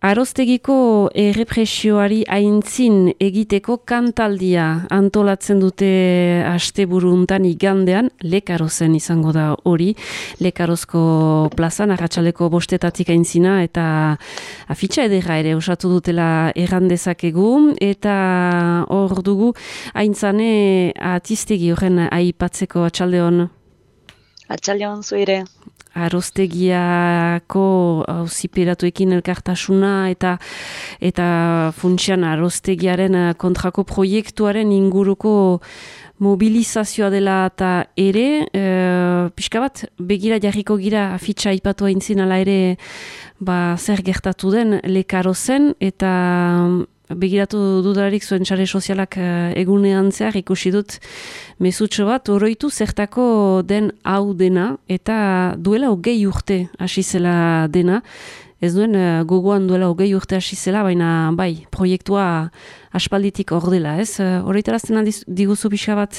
Aroztegiko errepresioari aintzin egiteko kantaldia antolatzen dute asteburu hontan igandean, Lekarozen izango da hori, Lekarozko plazan, arratsaldeko 5 aintzina, eta afitxa ederra ere osatu dutela errandezakegu, eta hor dugu aintzane atiztegi horren aipatzeko. Atxaldeon. Atxaldeon zuire. Aroztegiako auziperatuekin elkartasuna eta funtsian aroztegiaren kontrako proiektuaren inguruko mobilizazioa dela eta ere, pixka bat, begira jarriko gira afitxa aipatu aintzin ala ere zer gertatu den Lekarozen, eta begiratu dudalarik zuen sare sozialak egunean zehar ikusi dut mezutxo bat, oroitu zertako den hau dena, eta duela 20 urte hasi zela dena, ez duen gogoan duela 20 urte hasi zela, baina bai, proiektua aspalditik hor dela, ez? Horretarazten diguzu pixka bat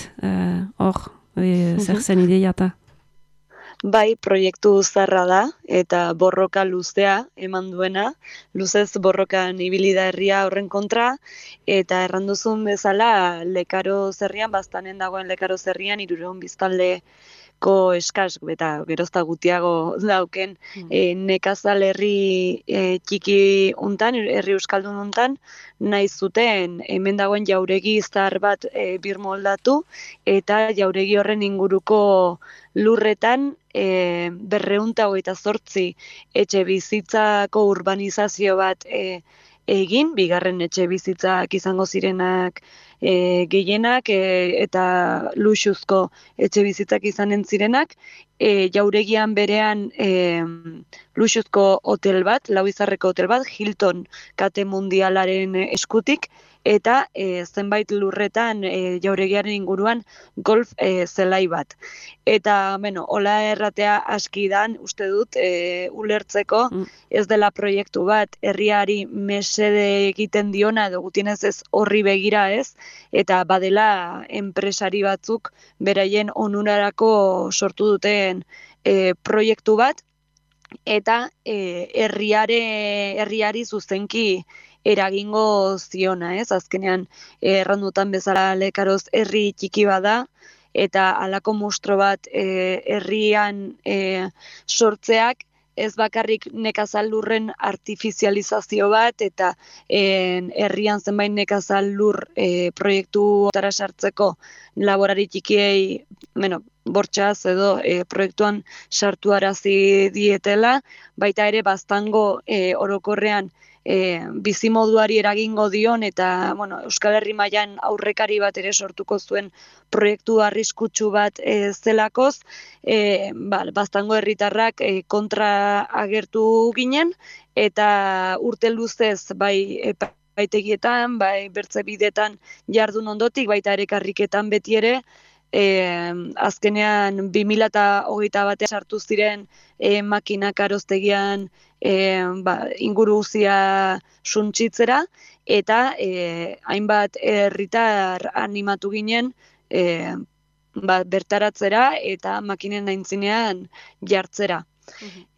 hor, zer zen ideia eta? Bai, proiektu zarra da eta borroka luzea eman duena, luzez borrokan ibili da herria horren kontra, eta erranduzun bezala Lekaroz herrian, baztanen dagoen Lekaroz herrian 300 biztanleko eskas eta gerozta gutiago dauken nekazal herri txiki hontan, herri euskaldun hontan, nahi zuten hemen dagoen jauregi zahar bat birmoldatu, eta jauregi horren inguruko lurretan 228 etxe bizitzako urbanizazio bat egin, bigarren etxe bizitzak izango zirenak gehienak eta luxuzko etxe bizitzak izanen zirenak, jauregian berean luxuzko hotel bat, lau izarreko hotel bat, Hilton kate mundialaren eskutik, eta zenbait lurretan jauregiaren inguruan golf zelai bat. Eta, hola erratea askidan, uste dut, ulertzeko ez dela proiektu bat, herriari mesede egiten diona, edo gutienez ez horri begira ez, eta badela enpresari batzuk beraien onurarako sortu duten proiektu bat, eta herriari zuzenki eragingo ziona, ez? Azkenean errandutan bezala Lekaroz herri txiki bada, eta halako monstro bat herrian sortzeak ez bakarrik nekazal lurren artifizializazio bat, eta herrian zenbait nekazal lur proiektutara sartzeko laborari txikiei, bortxaz edo proiektuan sartuarazi dietela, baita ere baztango orokorrean bizimoduari eragingo dion, eta Euskal Herri mailan aurrekari bat ere sortuko zuen proiektu arriskutsu bat zelakoz, baztango herritarrak kontra agertu ginen, eta urte luzez bai epaitegietan, bai bertze bidetan jardun ondotik, baita ere karriketan beti ere, azkenean 2021 batean sartu ziren makinak aroztegian inguru guztia suntsitzera, eta hainbat herritar animatu ginen bertaratzera eta makinen aintzinean jartzera.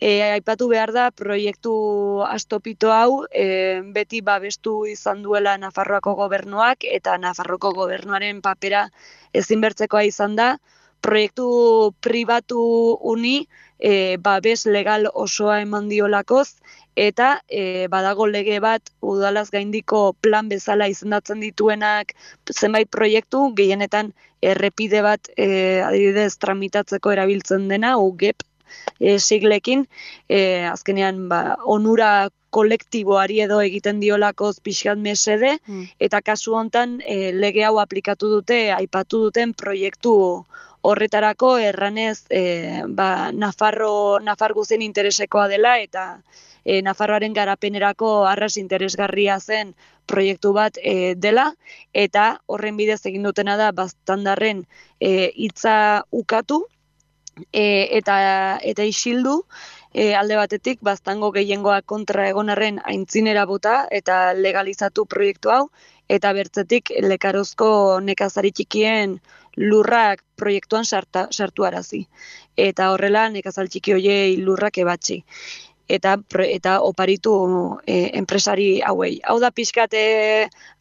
Aipatu behar da, proiektu astopito hau beti babestu izan duela Nafarroako gobernuak, eta Nafarroako gobernuaren papera ezinbertzekoa izan da, proiektu pribatu uni babes legal osoa eman diolakoz, eta badago lege bat udalaz gaindiko plan bezala izendatzen dituenak zenbait proiektu, gehienetan errepide bat adibidez tramitatzeko erabiltzen dena, UGEP siglekin, azkenean onura kolektiboari edo egiten diolakoz pixkat mesede, eta kasu hontan lege hau aplikatu dute, aipatu duten proiektu horretarako, erranez Nafar guztien interesekoa dela, eta Nafarroaren garapenerako arras interesgarria zen proiektu bat dela, eta horren bidez egin dutena da baztandarren hitza ukatu, eta isildu, alde batetik baztango gehiengoa kontra egon arren aintzinera bota eta legalizatu proiektu hau, eta bertzetik Lekarozko nekazari txikien lurrak proiektuan sartuarazi. Eta horrela nekazal txiki hoiei lurrak ebatzi. eta oparitu enpresari hauei. Hau da pixkat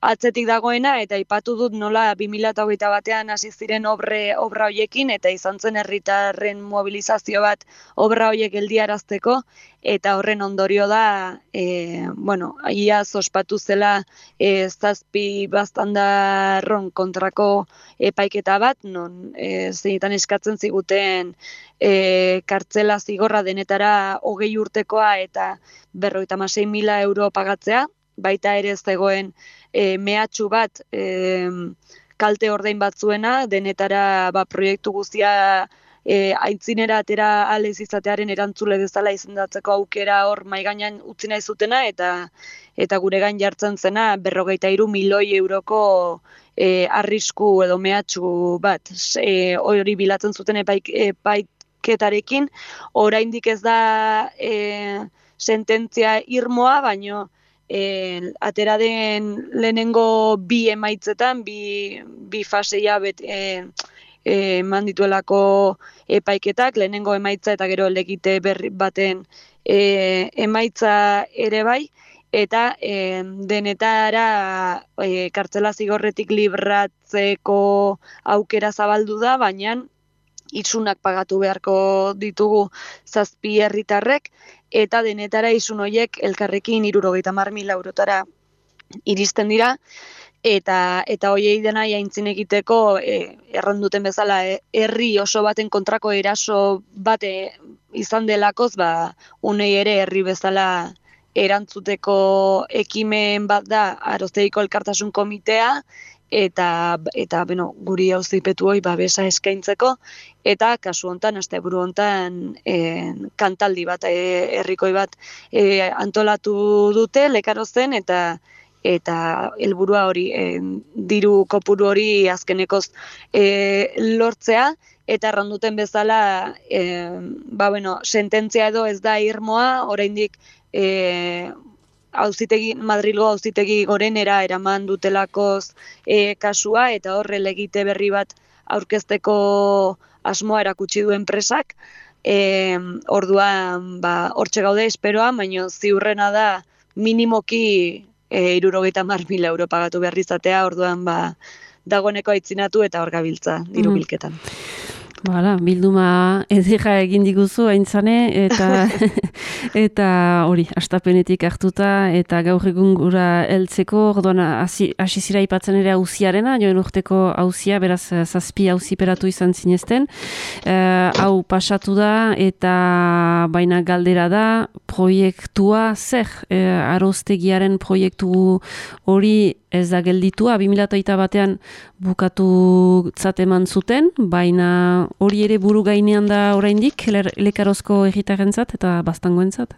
atzetik dagoena, eta aipatu dut nola 2021 batean hasi ziren obra hoiekin, eta izan zen herritarren mobilizazio bat obra hoiek geldiarazteko, eta horren ondorio da, iaz ospatu zela 7 baztandarron kontrako epaiketa bat, non zeinetan eskatzen ziguten kartzela zigorra denetara 20 urtekoa eta 56.000 euro pagatzea, baita ere zegoen mehatxu bat kalte ordain batzuena, denetara proiektu guztia aintzinera atera alez izatearen erantzule bezala izendatzeko aukera hor maigainan utzi nahi zutena, eta gure gain jartzen zena 53 milioi euroko arrisku edo mehatxu bat. Hori bilatzen zuten epaiketarekin, oraindik ez da sententzia irmoa, baino atera den lehenengo 2 emaitzetan, bi faseia eman dituelako epaiketak, lehenengo emaitza eta gero legite berri baten emaitza ere bai, eta denetara kartzela zigorretik libratzeko aukera zabaldu da, baina isunak pagatu beharko ditugu 7 herritarrek, eta denetara isun horiek elkarrekin 70.000 eurotara iristen dira, eta hoiei dena aintzin egiteko erran duten bezala herri oso baten kontrako eraso bate izan delakoz, unei ere herri bezala erantzuteko ekimen bat da Aroztegiko Elkartasun Komitea, eta guri auzipetu hori babesa eskaintzeko, eta kasu hontan, asteburu hontan kantaldi bat, herrikoi bat antolatu dute Lekarozen, eta helburua hori, diru kopuru hori azkenekoz lortzea, eta erranduten bezala, sententzia edo ez da irmoa, oraindik Madrilgo auzitegi gorenera eraman dutelakoz kasua, eta horre legite berri bat aurkezteko asmoa erakutsi du enpresak. Orduan, hortxe gaude esperoa, baina ziurrena da minimoki 70.000 euro pagatu behar izatea, orduan dagoeneko aitzinatu eta hor gabiltza diru bilketan. Bilduma edera egin diguzu aintzane, eta hori, astapenetik hartuta, eta gaur egun gura heltzeko, orduan hasi zira ipatzen ere auziarena, joen urteko auzia, beraz 7 auziperatu izan zinezten. Hau pasatu da, eta baina galdera da, proiektua zer, Aroztegiaren proiektu hori ez da gelditua, 2008 batean bukatu eman zuten, baina hori ere buru gainean da oraindik Lekarozko herritarrentzat eta baztangoentzat?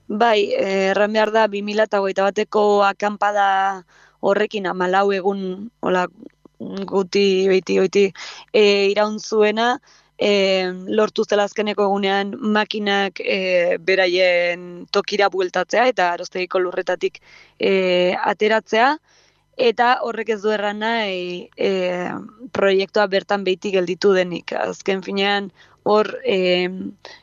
Bai, erran behar da 2008 bateko akanpada horrekin 14 egun guti iraun zuena, lortu zela azkeneko egunean makinak beraien tokira bueltatzea eta Aroztegiko lurretatik ateratzea, eta horrek ez du erran nahi proiektua bertan beiti gelditu denik. Azken finean hor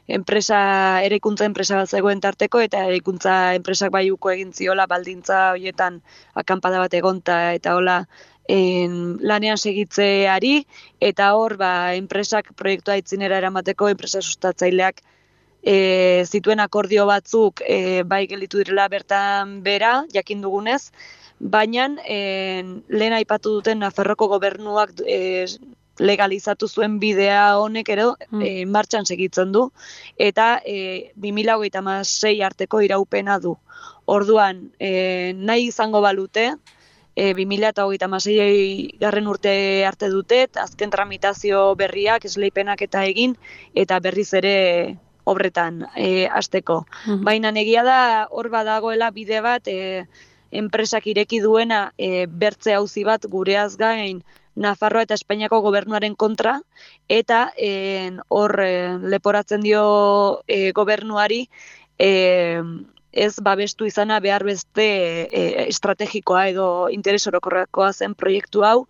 eraikuntza enpresa bat zegoen tarteko, eta eraikuntza enpresak uko egin ziola baldintza horietan akanpada bat egonta eta hola lanean segitzeari, eta hor enpresak proiektua aitzinera eramateko enpresa sustatzaileak zituen akordio batzuk bai gelditu direla bertan bera, jakin dugunez, baina lehen aipatu duten Nafarroko gobernuak legalizatu zuen bidea honek ere martxan segitzen du, eta 2026 arteko iraupena du. Orduan, nahi izango balute, 2026 garren urte arte dute, azken tramitazio berriak, esleipenak eta egin, eta berriz ere obretan hasteko. Baina egia da hor badagoela bide bat, enpresak ireki duena bertze auzi bat gureaz gain Nafarroa eta Espainiako gobernuaren kontra, eta hor leporatzen dio gobernuari ez babestu izana behar beste estrategikoa edo interes orokorrekoa zen proiektu hau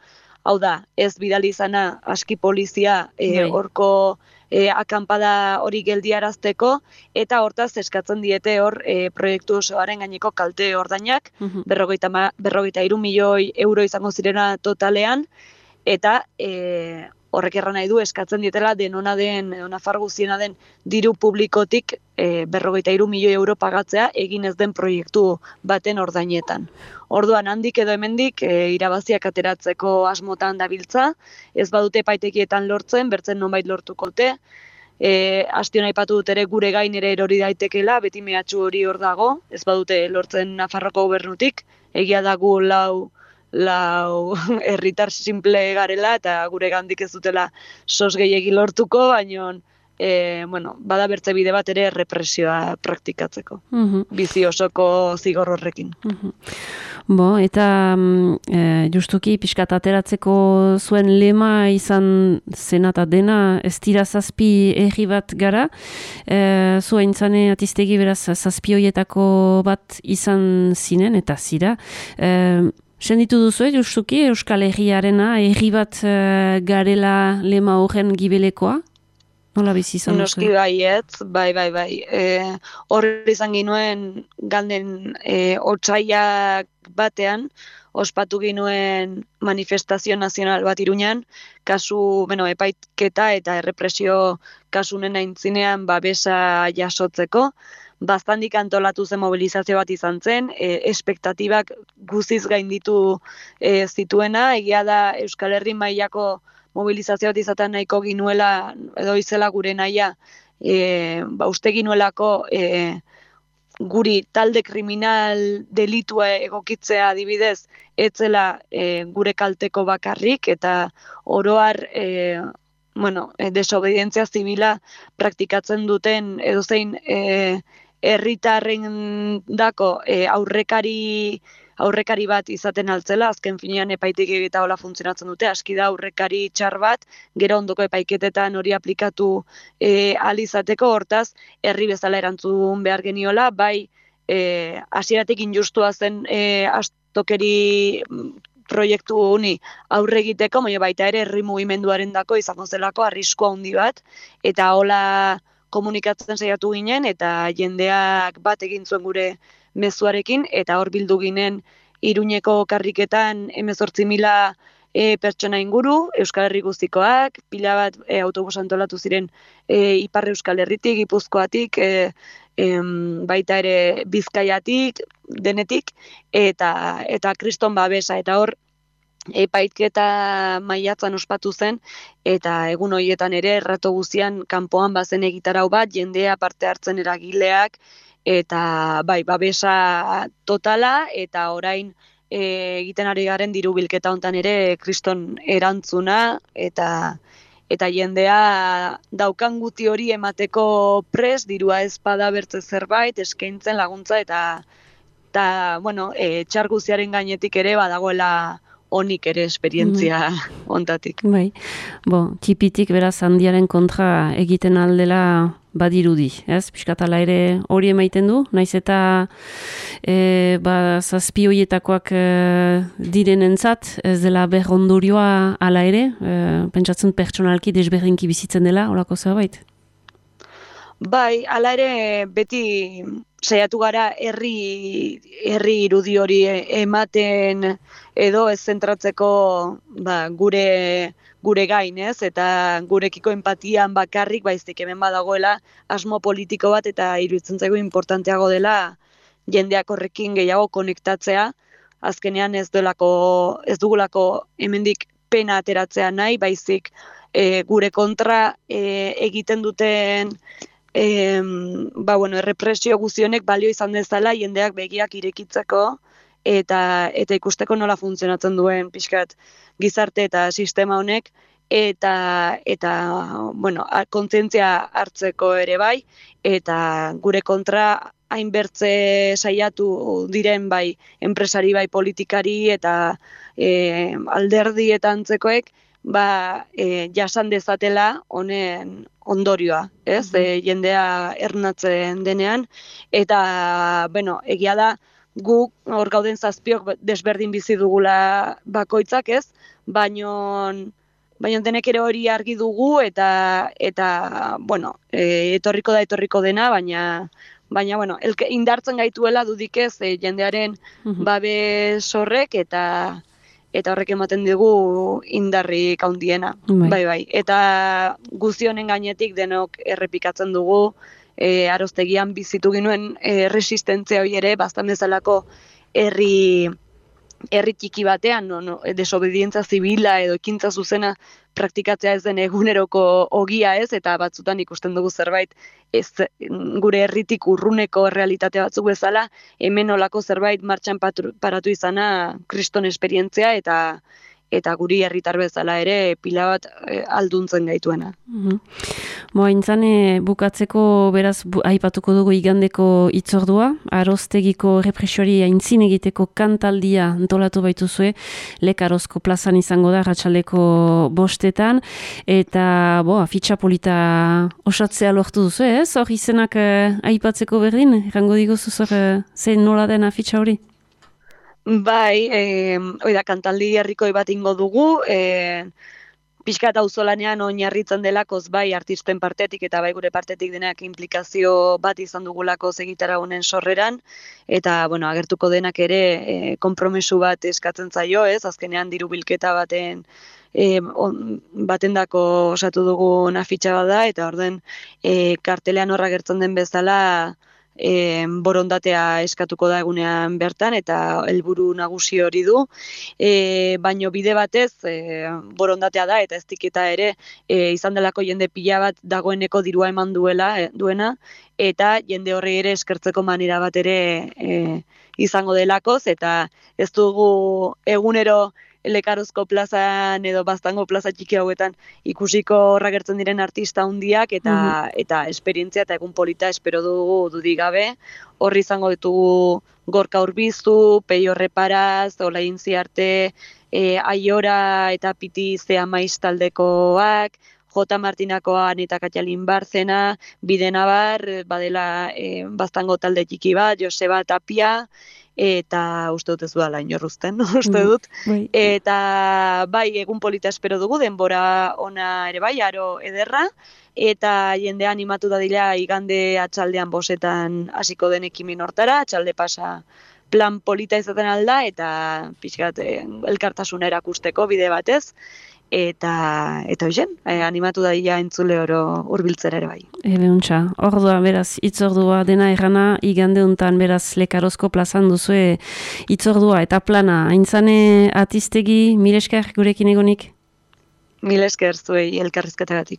da, ez bidali izana aski polizia horko akanpada hori geldiarazteko, eta hortaz eskatzen diete hor proiektu osoaren gaineko kalte ordainak, 53 milioi euro izango zirena totalean, eta horrek erran nahi du eskatzen dietela denona den, edo Nafar guztiena den diru publikotik 53 milioi euro pagatzea egin ez den proiektu baten ordainetan. Orduan handik edo hemendik irabaziak ateratzeko asmotan dabiltza, ez badute epaitegietan lortzen, bertzen nonbait lortukote, astion aipatu dut ere gure gain ere erori daitekela, beti mehatxu hori hor dago, ez badute lortzen Nafarroko gobernutik, egia da gu lau herritar simple garela eta gure gandik ez dutela sos gehiegi lortuko, baina bada bertze bide bat ere represioa praktikatzeko. Bizi osoko zigor horrekin. Eta justuki pixkat ateratzeko zuen lema izan zena eta dena, ez dira zazpi erri bat gara, zuen zane atiztegi beraz zazpi hoietako bat izan zinen eta zira. Senditu duzu, justuki Euskal Herriarena, erri bat garela lema horren gibelekoa? Nola bizi izan duzu? Noski baietz, bai. Horri izan ginuen galden otsaiak batean, ospatu ginuen manifestazio nazional bat Iruñan, kasu, epaitketa eta errepresio kasunen aintzinean babesa jasotzeko. Baztandik antolatu zen mobilizazio bat izan zen, espektatibak guziz gainditu zituena, egia da Euskal Herri mailako mobilizazio bat izaten nahiko ginuela, edo izela gure nahia, uste ginuelako guri talde kriminal delitua egokitzea adibidez, etzela gure kalteko bakarrik, eta oroar desobedientzia zibila praktikatzen duten edozein herritarren dako aurrekari bat izaten altzela, azken finean epaitik eta hola funtzionatzen dute, aski da aurrekari txar bat, gero ondoko epaiketetan hori aplikatu ahal izateko, hortaz, herri bezala erantzun behar geniola, bai hasieratik injustua zen astokeri proiektu honi aurre egiteko, baita ere herri mugimenduaren dako izango zelako arriskua handi bat, eta hola komunikatzen saiatu ginen, eta jendeak bat egin zuen gure mezuarekin, eta hor bildu ginen Iruñeko karriketan 18.000 pertsona inguru, Euskal Herri guztikoak, pila bat autobus antolatu ziren Ipar Euskal Herritik, Gipuzkoatik, baita ere Bizkaiatik, denetik, eta kriston babesa, eta hor epaitketa maiatzan ospatu zen, eta egun horietan ere errato guztian kanpoan bazen egitarau bat, jendea parte hartzen eragileak, eta babesa totala, eta orain egiten ari garen diru bilketa hontan ere kriston erantzuna, eta jendea daukan guti hori emateko prest, dirua ez bada bertze zerbait, eskaintzen laguntza, eta txar guztiaren gainetik ere badagoela honik ere esperientzia ontatik. Bai, txipitik beraz handiaren kontra egiten aldela badirudi, ez? Piskatala ere hori emaiten du, naiz eta zazpi hoietakoak direnentzat, ez dela berrondorioa ala ere, pentsatzen pertsonalki desberdinki bizitzen dela, horako zerbait? Bai, ala ere beti saiatu gara herri irudi hori ematen edo ez zentratzeko gure gain, ez? Eta gurekiko empatian bakarrik baizik hemen badagoela asmo politiko bat, eta iruditzen zaigu importanteago dela jendeak horrekin gehiago konektatzea. Azkenean ez dugulako hemendik pena ateratzea nahi, baizik gure kontra egiten duten errepresio guztionek balio izan dezala jendeak begiak irekitzeko eta ikusteko nola funtzionatzen duen pixkat gizarte eta sistema honek, eta kontzientzia hartzeko ere bai, eta gure kontra hainbertze saiatu diren bai enpresari, bai politikari eta alderdi eta antzekoek jasan dezatela honen ondorioa, ez? Jendea ernatzen denean, eta egia da guk hor gauden zazpiok desberdin bizi dugula bakoitzak, ez? Baino baina denek ere hori argi dugu eta bueno, etorriko dena, baina bueno, indartzen gaituela dudik ez jendearen babes horrek eta horrek ematen digu indarrik handiena. Bai. Eta guzti honen gainetik denok errepikatzen dugu Aroztegian bizitu ginuen resistentzia hori ere, bastan bezalako herri txiki batean, desobedientza zibila edo ekintza zuzena praktikatzea ez den eguneroko ogia ez, eta batzutan ikusten dugu zerbait ez gure herritik urruneko errealitate batzuk bezala, hemen olako zerbait martxan paratu izana kriston esperientzia eta guri herritar bezala ere pila bat alduntzen gaituena. Intzane bukatzeko beraz aipatuko dugu igandeko hitzordua, Aroztegiko represioari aintzin egiteko kantaldia antolatu baituzue, Lekarozko plazan izango da arratsaldeko 5:00 eta afitxa polita osatzea lortu duzu, ez? Hor izenak aipatzeko berdin, errango diguzu zein nola den afitxa hori? Bai, kantaldi herrikoi bat ingo dugu, pixka eta auzolanean oinarritzen delakoz bai artisten partetik eta bai gure partetik denak implikazio bat izan dugulako egitara honen sorreran, eta agertuko denak ere konpromesu bat eskatzen zaio, ez? Azkenean diru bilketa batendako osatu dugun afitxa bat da, eta orden kartelean horra gertzen den bezala borondatea eskatuko da egunean bertan eta helburu nagusi hori du, baino bide batez borondatea da eta ez diketa ere izan delako jende pila bat dagoeneko dirua eman duena eta jende horri ere eskertzeko manera bat ere izango delakoz eta ez dugu egunero Lekarozko plazan edo Baztango plaza txiki hauetan ikusiko horra gertzen diren artista handiak eta esperientzia eta egun polita espero dugu dudik gabe. Horri izango ditugu Gorka Urbizu, Peio Reparaz, Olain Ziarte, Aiora eta Piti Zea Maiz taldekoak, J. Martinakoan eta Katjalin Barzena, Bidenabar, badela Baztango talde txiki bat, Joseba Tapia, eta uste dut ez duela inorruzten, uste dut. Eta bai, egun polita espero dugu, denbora ona ere bai, aro ederra, eta jende animatu dadila igande atxaldean 5:00 hasiko den ekimen hortara, atxalde pasa plan polita izaten alda, eta pixkat elkartasuna erakusteko bide batez, eta hoxen, animatu dadila entzule oro hurbiltzera ere bai. Ebeuntza, ordua, beraz, hitzordua dena errana, igande untan beraz Lekarozko plazan duzue hitzordua eta plana. Aintzane Atiztegi, mil esker gurekin egonik? Mil esker zuei elkarrizketagatik.